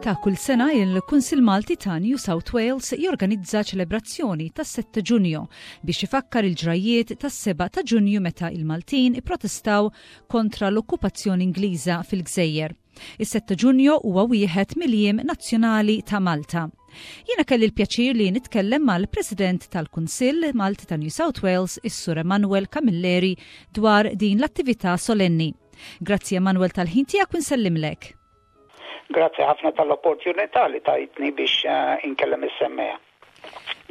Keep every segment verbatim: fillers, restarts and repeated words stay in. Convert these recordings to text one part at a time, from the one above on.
Ta' kull sena il-Kunsill Malti ta' New South Wales jorganizza ċelebrazzjoni tas-sette Ġunju biex ifakkar il-ġrajiet tas-sebgħa ta' Ġunju meta il-Maltin ipprotestaw kontra l-okkupazzjoni Ingliża fil-Gżejjer. Is-sette Ġunju huwa wieħed mill-jiem nazzjonali ta' Malta. Jiena kelli l-pjaċir li nitkellem mal-President tal-Kunsill Malti ta' New South Wales, is-Sur Emanuel Camilleri, dwar din l-attività solenni. Grazzi, Emanuel, tal-ħin tiegħek u nsellimlek. Grazzi ħafna tal-opportunità li tajtni biex uh, inkellem is-semmiegħa.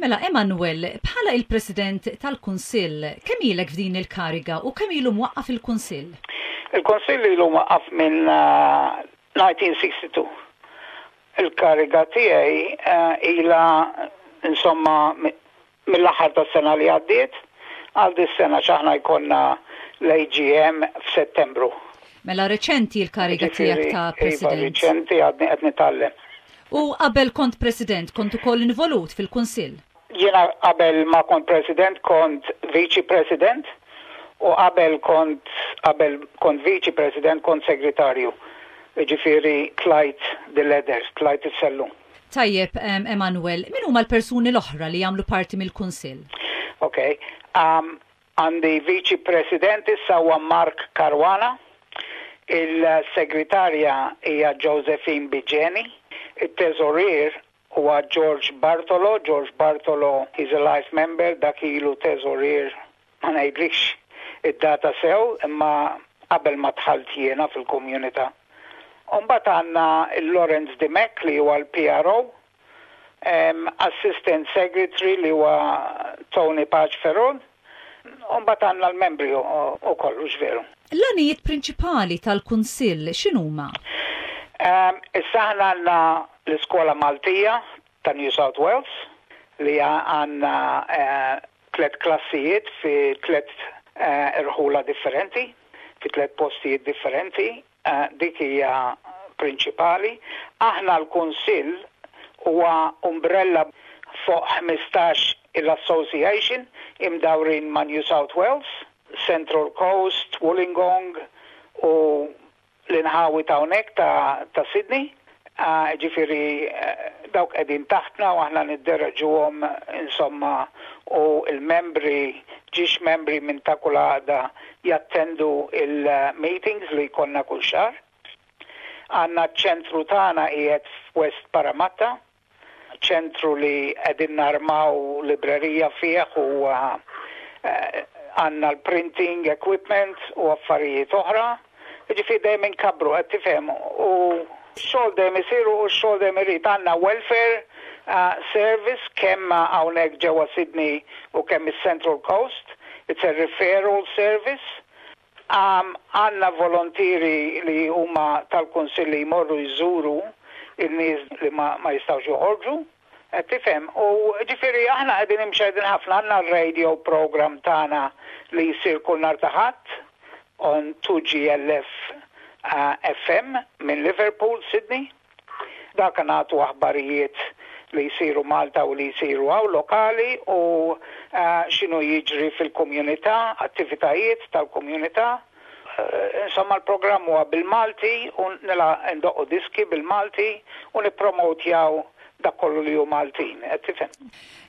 Mela, Emanuel, bħala il-President tal-Kunsill, kemm ilek f'din il-kariga u kemm ilu mwaqqaf il-Kunsill? Il-Kunsill ilu mwaqqaf minn uh, elf disa' mija u sitta u sittin. Il-kariga tiegħi uh, ila insomma mill-aħħar tas-sena li għaddiet għal dis-sena, x'aħna jkollna l-A G M f'Settembru. Mela reċenti l-kariga tiegħek ta' Iva, President. Reċenti, għadni qed nitgħallem. U qabel kont President, kont ukoll involut fil-Kunsill? Jiena qabel ma kont President kont Viċi President u qabel kont qabel kont Viċi President kont Segretarju. Ġifieri tlajt the ladder, tlajt is-sellum. Tajjeb, Emanuel, min huma l-persuni l-oħra li jagħmlu parti mill-Kunsill? Ok. Um, għandi Viċi President issa huwa Mark Caruana, il-segretarja hija Josephine Bigeni, il-teżorier huwa George Bartolo. George Bartolo is a life member, dak ilu teżorier, ma ngħidlikx id-data sew, imma qabel ma dħalt jiena fil-komunità. Umbagħad għandna il-Lawrence Dimek li huwa l-P R O, um, Assistant Secretary li huwa Tony Pace Ferron, umbagħad għandna l-membri u kollu veru. L-għanijiet prinċipali tal-Kunsill x'inhuma? Um, issa aħna għandna l-Iskola Maltija ta' New South Wales li għandna uh, tlet klassijiet fi tlet uh, irħula differenti, fi tlet postijiet differenti, uh, dik hija prinċipali. Aħna l-Kunsill huwa umbrella fuq ħmistax il-association imdawrin ma' New South Wales, Central Coast, Wollongong u l-inħawi ta' hawnhekk ta', ta Sydney. Uh, ġifieri uh, dawk qegħdin taħtna u aħna niddereġuhom insomma, u il-membri, ġiex membri minn ta' kull għaqda jattendu il-meetings li jkollna kull xahar. Għandna ċentru tagħna qiegħed f'West Parramatta, ċentru li qegħdin narmaw librerija fih u għandna l-printing equipment u affarijiet oħra. Ġifieri dejjem inkabbru, qed tifhem, u xogħol dejjem isiru u xogħol dejjem irid. Għandna welfare uh, service kemm hawnhekk ġewwa Sydney u kemm is-Central Coast. It's a referral service. Għandna um, volontieri li huma tal-kunsilli li jmorru jżuru il-nies li ma, ma jistgħux joħorġu. Tifhem, u ġifieri aħna qegħdin imxedin ħafna, għandna r-radio program tagħna li jsir kull nhar ta' Ħadd on two G L F uh, F M minn Liverpool, Sydney. Dak nagħtu aħbarijiet li jsiru Malta u li jsiru hawn lokali u uh, x'inhu jiġri fil-komunità, attivitajiet tal-komunità. Uh, insomma, l-programm huwa bil-Malti u nila ndoqqu diski bil-Malti u nippromotjaw dak kollu li hu Maltin, qed tifhem?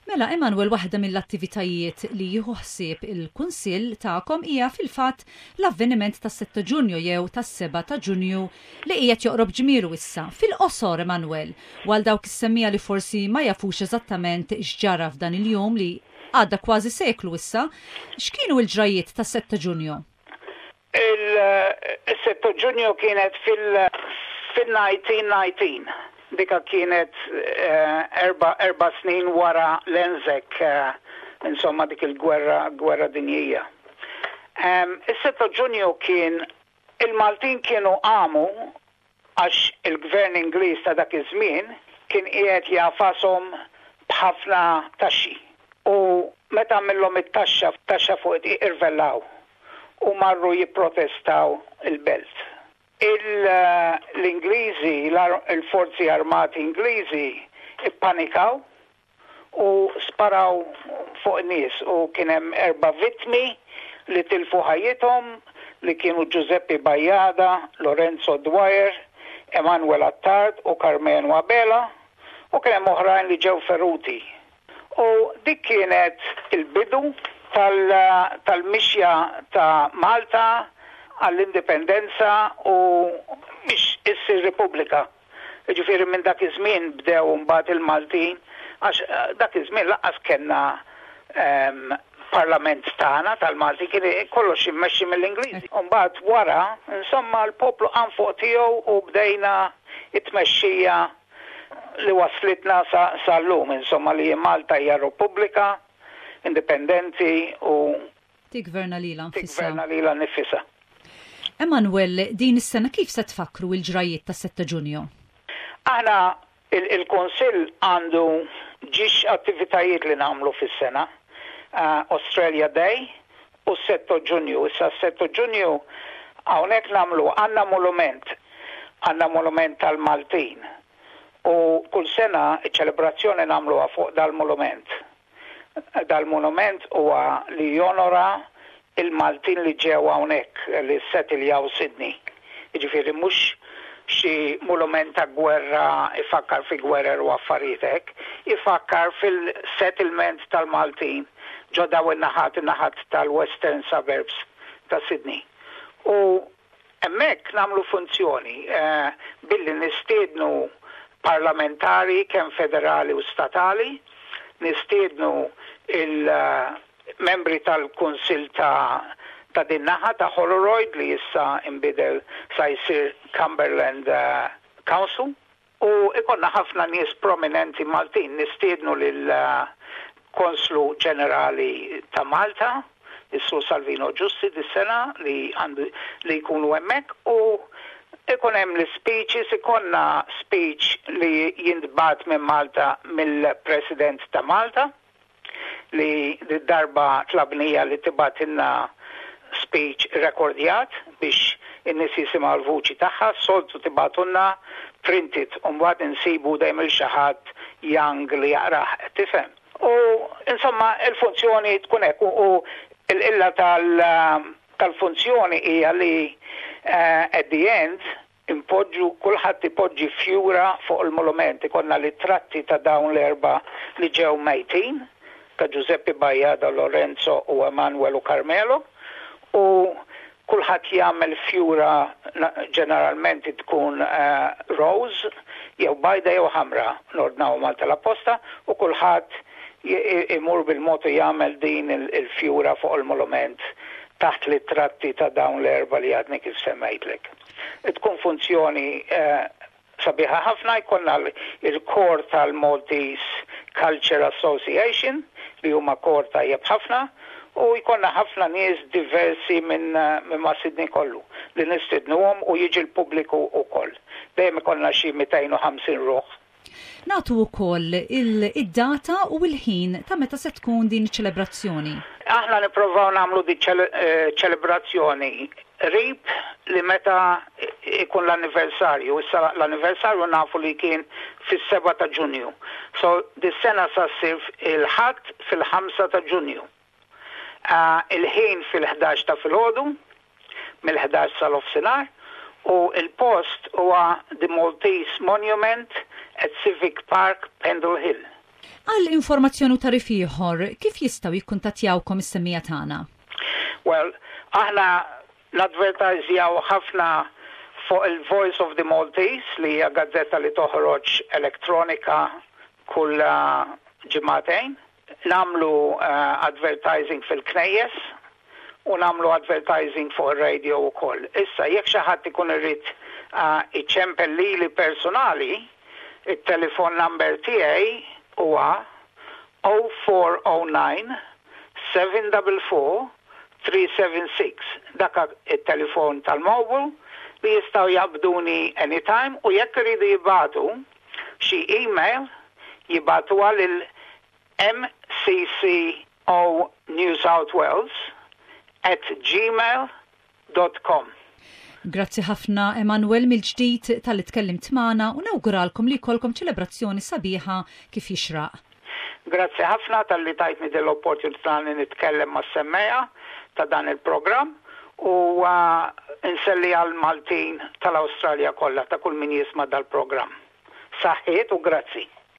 Mela, Emanuel, waħda mill-attivitajiet li jieħu ħsieb il-Kunsill tagħkom hija fil-fatt l-avveniment tas-sitta Ġunju jew tas-sebgħa ta' Ġunju li qiegħed joqrob ġmielu issa. Fil-qosor, Emanuel, għal dawk is-semmiegħa li forsi ma jafux eżattament x'ġara f'dan il-jum li għadda kważi seklu issa, x'kienu l-ġrajiet tas-sitta Ġunju? Il-sitta Ġunju kienet fil-elf disa' mija u tnax. Dika kienet eh, erba, erba snin wara l-Anzac, eh, insomma dik il-gwerra, gwerra dinjija. Um, Is-sitta Ġunju kien il-Maltin kienu qamu għax il-gvern Ingliż ta' dak iż-żmien kien qiegħed jagħfashom b'ħafna taxxi. U meta għamillhom it-taxxa, taxxa fuq irvellaw u marru jipprotestaw il-belt. L-Ingliżi, il-forzi armati Ingliżi ippanikaw u sparaw fuq nies u kien hemm erba' vittmi li tilfu ħajjithom, li kienu Giuseppe Bajada, Lorenzo Dwyer, Emanuel Attard u Carmenu Abela, u kien hemm oħrajn li ġew feruti. U dik kienet il-bidu tal-mixja ta' Malta għall-indipendenza u biex issir Repubblika. Ġifieri minn dak iż-żmien bdew mbagħad il-Maltin, għax eh, dak iż-żmien lanqas kellna um, parlament tagħna tal-Malti, kien kollox immexxi mill-Ingliżi. Mbagħad wara, insomma, l-poplu qam fuq tiegħu u bdejna it-tmexxija li waslitna sal-lum, insomma, li Malta hija Repubblika indipendenti u tigverna lilha nfisha. Tigverna lilha nfisha. Emanuel, din is-sena kif se tfakru il-ġrajiet ta' sitta Ġunju? Aħna il-Kunsill għandu ġiex attivitajiet li nagħmlu fis-sena. Uh, Australia Day u sitta Ġunju. Issa sitta Ġunju hawnhekk nagħmlu għandna monument, għandna monument tal-Maltin. U kull sena iċ-ċelebrazzjoni nagħmluha fuq dal-monument. Dal-monument huwa li jonora il-Maltin li ġew hawnhekk li settiljaw Sydney. Jiġifieri mhux xi monument ta' gwerra ifakkar fi gwerer u affarijiet hekk, ifakkar fil-settlement tal-Maltin ġo daw in-naħat, in-naħat tal-Western Suburbs ta' Sydney. U hemmhekk nagħmlu funzjoni eh, billi nistiednu parlamentari kemm federali u statali, nistiednu il- membri tal-Kunsil ta' ta' din naħa ta' Holroyd li issa imbidel sa jsir Cumberland uh, Council, u ikollna ħafna nies prominenti Maltin. Nistiednu lil uh, Konslu Ġenerali ta' Malta, is-Sur Salvino Giusti, dis-sena li għandu li jkunu hemmhekk, u ikun hemm l-speeches, ikollna speech li jintbagħat minn Malta mill-President ta' Malta, li darba tlabnieha li tibgħatilna speech rekordjat biex in-nies jisimgħu l-vuċi tagħha. Soltu tibgħatulna printed u mbagħad insibu dejjem il xi ħadd young li jaqrah, tifhem. U insomma il-funzjoni tkun hekk u il-illa tal-funzjoni hija li uh, at the end impoġġu, kulħadd ipoġġi fjura fuq il-monument, ikollna ritratti ta' dawn l-erba li ġew mejtin, ta' Giuseppe Bajada, Lorenzo u Emanuel u Carmelo, u kulħadd jagħmel fjura, ġeneralment tkun uh, rose jew bajda jew ħamra, nordnaw Malta l-apposta, u kulħadd imur bil-motu jagħmel din il-fjura fuq il-monument taħt ritratti ta' dawn l-erba li għadni kif semmejtlek. Tkun funzjoni uh, sabiħa ħafna. Jkollna il-kor tal-Maltese Culture Association li huma kor tajjeb ħafna, u jkollna ħafna nies diversi minn minn ma' Sydney kollu li nistidnuhom u jiġi l-pubbliku wkoll. Dejjem ikollna xi mitejn u ħamsin ruħ. Nagħtu wkoll id-data u l-ħin ta' meta se tkun din iċ-ċelebrazzjoni. Aħna nipprovaw nagħmlu di eh, ċelebrazzjoni qrib li meta ikun l-anniversarju. Issa l-anniversarju nafu li kien fis-seba ta' Ġunju. So dis-sena sa ssir il-Ħadd fil-ħamsa ta' Ġunju. Uh, il-ħin fil-ħdax ta' filgħodu, mill-ħdax sal-nofsinhar, u il-post huwa the Maltese Monument at Civic Park, Pendle Hill. Għal informazzjoni u tagħrif ieħor, kif jistgħu jikkuntattjawkom is-semmiegħa tagħna? Well, aħna nadvertajzjaw ħafna fuq il-Voice of the Maltese, li hija gazzetta li toħroġ elektronika kull ġimagħtejn. Nagħmlu uh, advertising fil-knejjes u nagħmlu advertising fuq il-radio u koll. Issa, jekk xi ħadd ikun irid uh, iċempel lili personali, il-telefon number tiegħi huwa zero four zero nine seven four four three seven six. Dak il-telefon tal-mobile li jistgħu jaqbduni anytime, u jekk iridu jibagħtu xi email, jibagħtu għal M C C O New South Wales at gmail dot com. Grazzi ħafna, Emanuel, mill-ġdid talli tkellimt magħna u nawguralkom li jkollkom ċelebrazzjoni sabiħa kif jixraq. Grazzi ħafna talli tajtni din l-opportunità li nitkellem mas-semmiegħa ta' dan il-programm u uh, insellem għall-Maltin tal-Awstralja kollha, ta' kull min jisma' dal-programm. Saħħiet u grazzi.